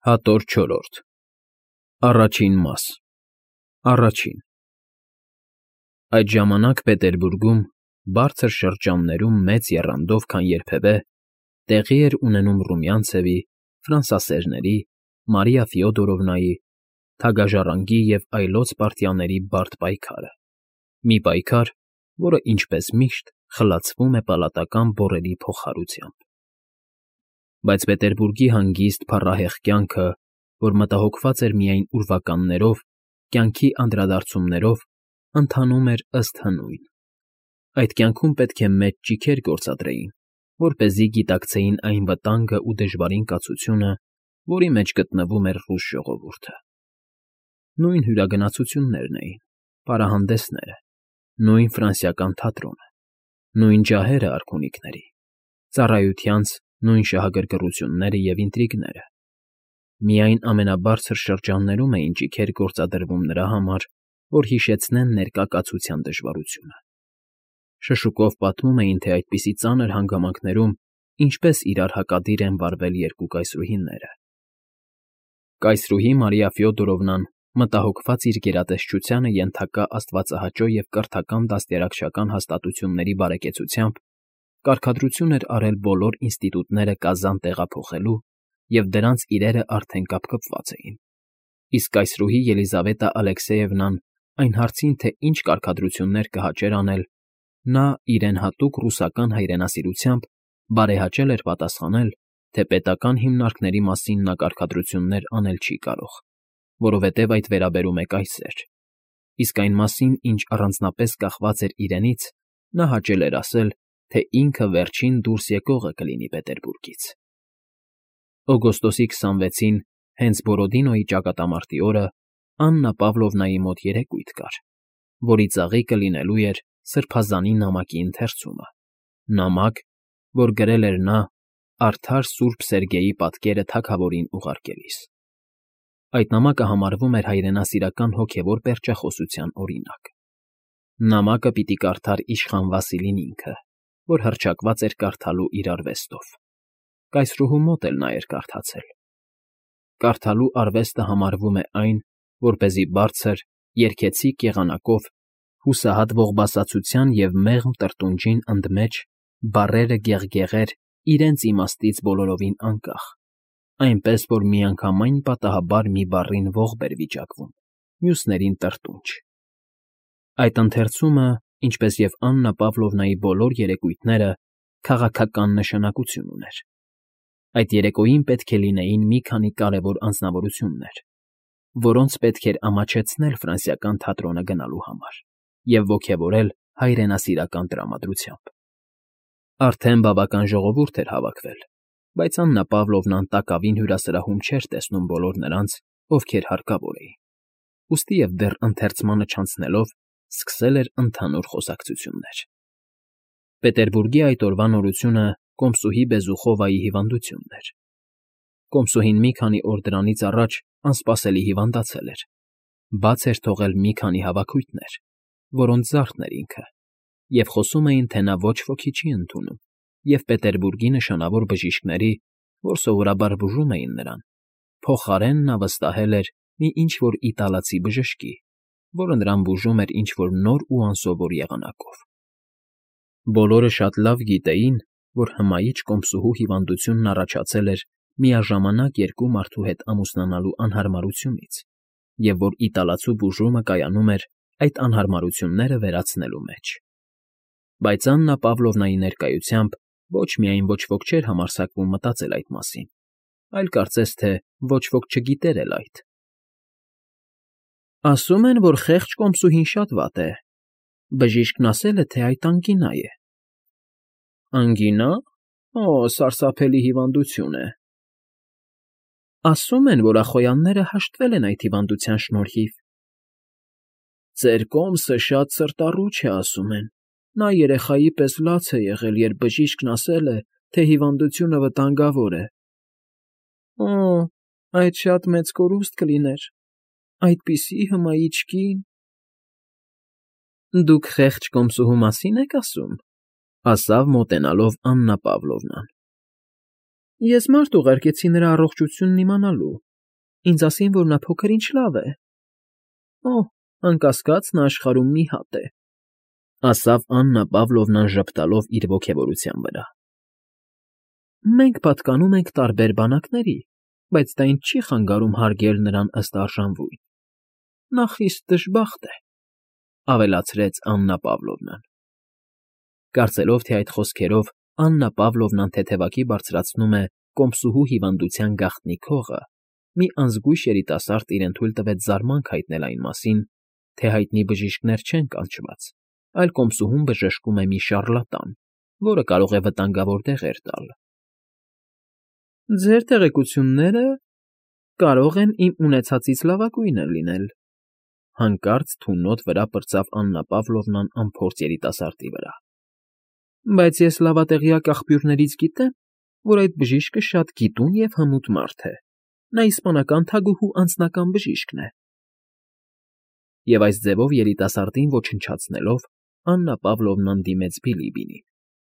Հատոր չորրորդ Առաջին մաս Առաջին Այդ ժամանակ Պետերբուրգում, բարձր շրջաններում մեծ եռանդով, քան երբևէ, տեղի էր ունենում Ռումյանցևի, ֆրանսասերների, Մարիա Ֆյոդորովնայի, թագաժառանգի և այլոց պարտիաների բարդ պայքարը, մի պայքար, որը, ինչպես միշտ, խլացվում է պալատական բոռերի փոխհարությամբ։ Բայց Պետերբուրգի հանգիստ, փառահեղ կյանքը, որ մտահոգված էր միայն ուրվականներով, կյանքի անդրադարձումներով, ընթանում էր ըստ հնույն. այդ կյանքում պետք է մեծ ճիգեր գործադրեին, որպեսզի գիտակցեին այն վտանգը ու դժվարին կացությունը, որի մեջ գտնվում էր ռուս ժողովուրդը։ Նույն հյուրագնացություններն էին, պարահանդեսները, նույն ֆրանսիական թատրոնը, նույն ջահերը արքունիքների, ծառայությանց նույն շահագրգռությունները և ինտրիգները։ Միայն ամենաբարձր շրջաններում էին ճիգեր գործադրվում նրա համար, որ հիշեցնեն ներկա կացության դժվարությունը։ Շշուկով պատմում էին, թե այդպիսի ծանր հանգամանքներում ինչպես իրար հակադիր են վարվել երկու կայսրուհիները։ Կայսրուհի Մարիա Ֆյոդորովնան, մտահոգված իր գերատեսչությանը ենթակա աստվածահաճո և կրթական դաստիարակչական հաստատությունների բարեկեցությամբ, կարգադրություն էր արել բոլոր ինստիտուտները Կազան տեղափոխելու, և դրանց իրերը արդեն կապկպված էին, իսկ կայսրուհի Ելիզավետա Ալեքսեևնան այն հարցին, թե ինչ կարգադրություններ կհաճեր անել, նա իրեն հատուկ ռուսական հայրենասիրությամբ բարեհաճել էր պատասխանել, թե պետական հիմնարկների մասին նա կարգադրություններ անել չի կարող, որովհետև այդ վերաբերում է կայսեր, իսկ այն մասին, ինչ առանձնապես կախված էր իրենից, նա հաճել էր ասել, թե ինքը վերջին դուրս եկողը կլինի Պետերբուրգից։ Օգոստոսի 26-ին, հենց Բորոդինոյի ճակատամարտի օրը, Աննա Պավլովնայի մոտ երեկույթ կար, որի ծաղիկը լինելու էր սրբազանի նամակի ընթերցումը, նամակ, որ գրել էր նա արդար սուրբ Սերգեյի պատկերը թագավորին ուղարկելիս։ Այդ նամակը համարվում էր հայրենասիրական հոգևոր պերճախոսության օրինակ։ Նամակը պիտի կարդար իշխան Վասիլին ինքը, որ հռչակված էր կարդալու իր արվեստով։ Կայսրուհու մոտ էլ նա էր կարդացել։ Կարդալու արվեստը համարվում է այն, որպեսզի բարձր, երգեցիկ եղանակով, հուսահատ ողբասացության և մեղմ տրտունջին ընդմեջ բառերը գեղգեղեր իրենց իմաստից բոլորովին անկախ, այնպես, որ միանգամայն պատահաբար մի բառին ողբ էր վիճակվում, մյուսներին տրտունջ։ Այդ ընթերցումը, ինչպես և Աննա Պավլովնայի բոլոր երեկույթները, քաղաքական նշանակություն ուներ։ Այդ երեկոյին պետք է լինեին մի քանի կարևոր անձնավորություններ, որոնց պետք էր ամաչեցնել ֆրանսիական թատրոնը գնալու համար և ոգևորել հայրենասիրական տրամադրությամբ։ Արդեն բավական ժողովուրդ էր հավաքվել, բայց Աննա Պավլովնան տակավին հյուրասրահում չէր տեսնում բոլոր նրանց, ովքեր հարկավոր էին, ուստի և դեռ ընթերցմանը չանցնելով սկսել էր ընդհանուր խոսակցություններ։ Պետերբուրգի այդ օրվա նորությունը կոմսուհի Բեզուխովայի հիվանդությունն էր։ Կոմսուհին մի քանի օր դրանից առաջ անսպասելի հիվանդացել էր, բաց էր թողել մի քանի հավաքույթներ, որոնց զարդն էր ինքը, և խոսում էին, թե նա ոչ ոքի չի ընդունում, և Պետերբուրգի նշանավոր բժիշկների, որ սովորաբար բուժում էին նրան, փոխարեն նա վստահել էր մի ինչ֊որ իտալացի բժշկի, որը նրան բուժում էր ինչ֊որ նոր ու անսովոր եղանակով։ Բոլորը շատ լավ գիտեին, որ հմայիչ կոմսուհու հիվանդությունն առաջացել էր միաժամանակ երկու մարդու հետ ամուսնանալու անհարմարությունից, և որ իտալացու բուժումը կայանում էր այդ անհարմարությունները վերացնելու մեջ։ Բայց Աննա Պավլովնայի ներկայությամբ ոչ միայն ոչ ոք չէր համարձակվում մտածել այդ մասին, այլ կարծես թե ոչ ոք չգիտեր էլ այդ։ Ասում են, որ խեղճ կոմսուհին շատ վատ է, բժիշկն ասել է, թե այդ անգինա է։ Անգինա՞։ Օ, սարսափելի հիվանդություն է։ Ասում են, որ Ախոյանները հաշտվել են այդ հիվանդության շնորհիվ։ Ձեր կոմսը շատ սրտառուչ է, ասում են։ Նա երեխայի պես լաց է եղել, երբ բժիշկն ասել է, թե հիվանդությունը վտանգավոր է։ Օ, այդ շատ մեծ կորուստ կլիներ, այդպիսի հմայիչ կին։ Դուք խեղճ կոմսուհու մասի՞ն եք ասում, ասավ մոտենալով Աննա Պավլովնան։ Ես մարդ ուղարկեցի նրա առողջությունն իմանալու, ինձ ասին, որ նա փոքր ինչ լավ է։ Օ, անկասկած, նա աշխարհում մի հատ է, ասավ Աննա Պավլովնան ժպտալով իր ոգևորության վրա։ Մենք պատկանում ենք տարբեր բանակների, բայց դա ինձ չի խանգարում հարգել նրան ըստ արժանվույն։ Նա խիստ դժբախտ է, ավելացրեց Աննա Պավլովնան։ Կարծելով, թե այդ խոսքերով Աննա Պավլովնան թեթևակի բարձրացնում է կոմսուհու հիվանդության գաղտնի քողը, մի անզգույշ երիտասարդ իրեն թույլ տվեց զարմանք հայտնել այն մասին, թե հայտնի բժիշկներ չեն կանչված, այլ կոմսուհուն բժշկում է մի շառլատան, որը կարող է վտանգավոր դեղեր տալ։ Ձեր տեղեկությունները կարող են իմ ունեցածից լավագույնը լինել, հանկարծ թունոտ վրա պրծավ Աննա Պավլովնան անփորձ երիտասարդի վրա։ Բայց ես լավատեղյակ աղբյուրներից գիտեմ, որ այդ բժիշկը շատ գիտուն և հմուտ մարդ է։ Նա իսպանական թագուհու անձնական բժիշկն է։ Եվ այս ձևով երիտասարդին ոչնչացնելով, Աննա Պավլովնան դիմեց Բիլիբինին,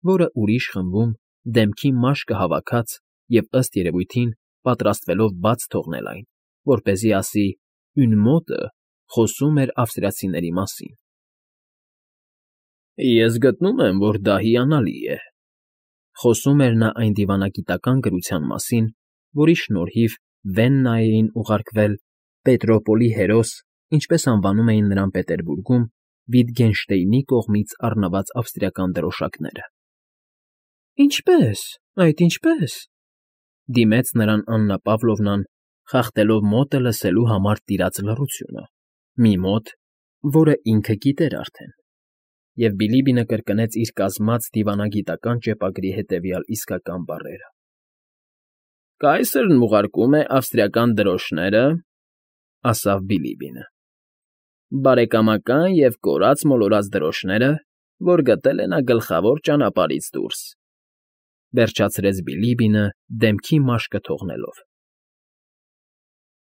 որը ուրիշ խմբում դեմքի մաշկը հավաքած և ըստ երևույթին պատրաստվելով բաց թողնել այն, որպեսզի ասի «Une mode» խոսում էր ավստրիացիների մասին։ Ես գտնում եմ, որ դա հիանալի է, խոսում էր նա այն դիվանագիտական գրության մասին, որի շնորհիվ Վեննայեին ուղարկվել Պետրոպոլի հերոս, ինչպես անվանում էին նրան Պետերբուրգում, Վիտգենշտեյնի կողմից առնված ավստրիական դրոշակները։ Ինչպե՞ս, այդ ինչպե՞ս, դիմեց նրան Աննա Պավլովնան, խախտելով մոտը լսելու համար տիրած լռությունը, մի մոտ, որը ինքը գիտեր արդեն, և Բիլիբինը կրկնեց իր կազմած դիվանագիտական ճեպագրի հետևյալ իսկական բառերը. Կայսրն ուղարկում է ավստրիական դրոշները, ասավ Բիլիբինը, բարեկամական և կորած֊մոլորած դրոշները, որ գտել է նա գլխավոր ճանապարհից դուրս, վերջացրեց Բիլիբինը դեմքի մաշկը թողնելով։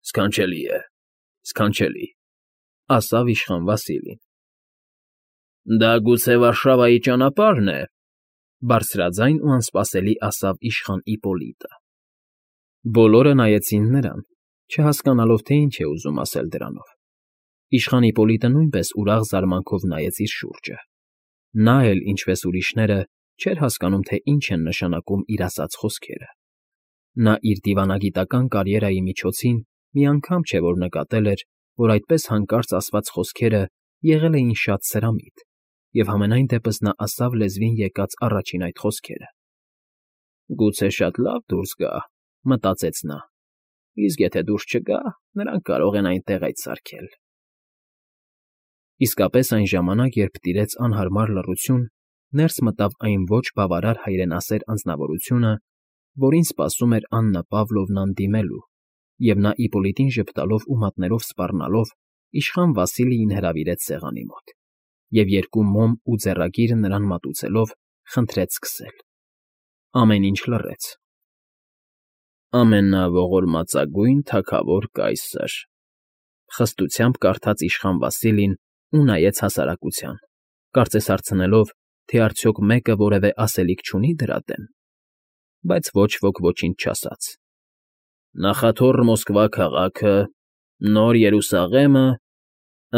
Սքանչելի է, սքանչելի, ասավ իշխան Վասիլին։ Դա գուցե Վարշավայի ճանապարհն է, բարձրաձայն ու անսպասելի ասավ իշխան Իպոլիտը։ Բոլորը նայեցին նրան, չհասկանալով, թե ինչ է ուզում ասել դրանով։ Իշխան Իպոլիտը նույնպես ուրախ զարմանքով նայեց իր շուրջը։ Նա էլ, ինչպես ուրիշները, չէր հասկանում, թե ինչ են նշանակում իր ասած խոսքերը։ Նա իր դիվանագիտական կարիերայի միջոցին մի անգամ չէ, որ նկատել էր, որ այդպես հանկարծ ասված խոսքերը եղել էին շատ սրամիտ, և համենայն դեպս նա ասավ լեզվին եկած առաջին այդ խոսքերը։ Գուցե շատ լավ դուրս գա, մտածեց նա, իսկ եթե դուրս չգա, նրանք կարող են այնտեղ այդ սարքել։ Իսկապես այն ժամանակ, երբ տիրեց անհարմար լռություն, ներս մտավ այն ոչ բավարար հայրենասեր անձնավորությունը, որին սպասում էր Աննա Պավլովնան դիմելու, և նա Իպոլիտին ժպտալով ու մատներով սպառնալով իշխան Վասիլիին հրավիրեց սեղանի մոտ, և երկու մոմ ու ձեռագիրը նրան մատուցելով, խնդրեց սկսել։ Ամեն ինչ լռեց։ Ամենաողորմածագույն թագավոր կայսր, խստությամբ կարդաց իշխան Վասիլին ու նայեց հասարակության, կարծես հարցնելով, թե արդյոք մեկը որևէ ասելիք չունի դրա դեմ, բայց ոչ ոք ոչինչ չասաց։ Նախաթոռ Մոսկվա քաղաքը, Նոր Երուսաղեմը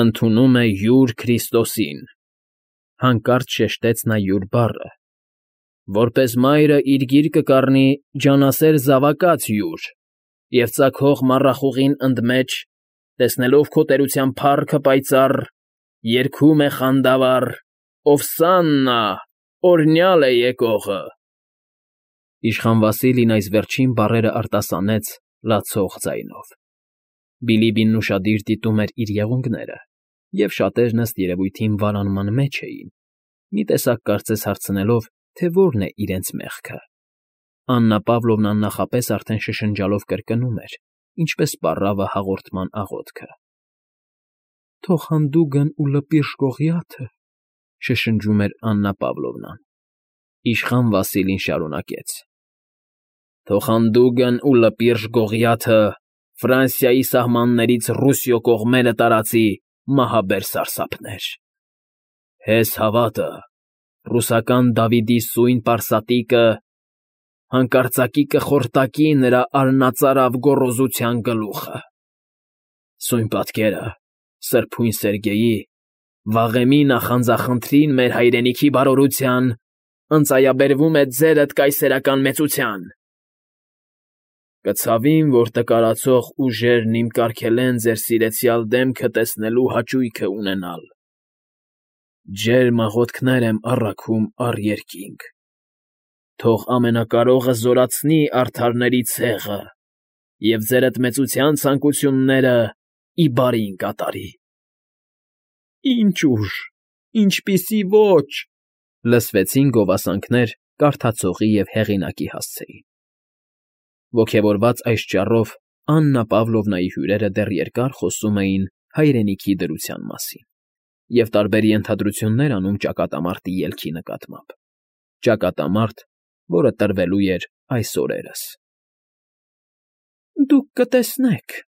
ընդունում է յուր Քրիստոսին, հանկարծ շեշտեց նա յուր բառը, որպես մայրը իր գիրկը կառնի ջանասեր զավակած յուր, և ծագող մառախուղին ընդմեջ, տեսնելով քո տերության փառքը պայծառ, երգում է խանդավառ, Օվսաննա, օրհնյալ է եկողը։ Իշխան Վասիլին այս վերջին բառերը արտասանեց լացող ձայնով։ Բիլիբինն ուշադիր դիտում էր իր եղունգները, և շատերն ըստ երևույթին վարանման մեջ էին, մի տեսակ կարծես հարցնելով, թե որն է իրենց մեղքը։ Աննա Պավլովնան նախապես արդեն շշնջալով կրկնում էր, ինչպես պառավը հաղորդման աղոթքը։ Թող հանդուգն ու լպիրշ Կողյաթը, շշնջում էր Աննա Պավլովնան։ Իշխան Վասիլին շարունակեց. Թող հանդուգն ու լպիրշ Գողիաթը Ֆրանսիայի սահմաններից Ռուսիո կողմերը տարածի մահաբեր սարսափներ։ Հես հավատը, ռուսական Դավիդի սույն պարսատիկը հանկարծակի կխորտակի նրա արնածարավ գոռոզության գլուխը։ Սույն պատկերը սրբույն Սերգեյի, վաղեմի նախանձախնդրին մեր հայրենիքի բարօրության ընծայաբերվում է ձերդ կայսերական մեծության։ Կցավիմ, որ տկարացող ուժերն իմ կարգել են ձեր սիրեցյալ դեմքը տեսնելու հաճույքը ունենալ։ Ջերմ աղոթքներ եմ առաքում առ երկինք։ Թող Ամենակարողը զորացնի արդարների ցեղը և ձերդ մեծության ցանկությունները ի բարին կատարի։ Ինչ ուժ, ինչպիսի ոճ…֊ լսվեցին գովասանքներ կարդացողի և հեղինակի հասցեին։ Ոգևորված այս ճառով Աննա Պավլովնայի հյուրերը դեռ երկար խոսում էին հայրենիքի դրության մասին և տարբեր ենթադրություններ անում ճակատամարտի ելքի նկատմամբ, ճակատամարտ, որը տրվելու էր այս օրերս։ ֊ Դուք կտեսնեք,֊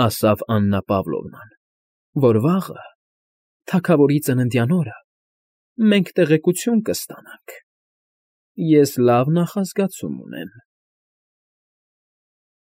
ասաց Աննա Պավլովնան,֊ որ վաղը, թագավորի ծննդյան օրը, մենք տեղեկություն կստանանք։ Ես լավ նախազգացում ունեմ։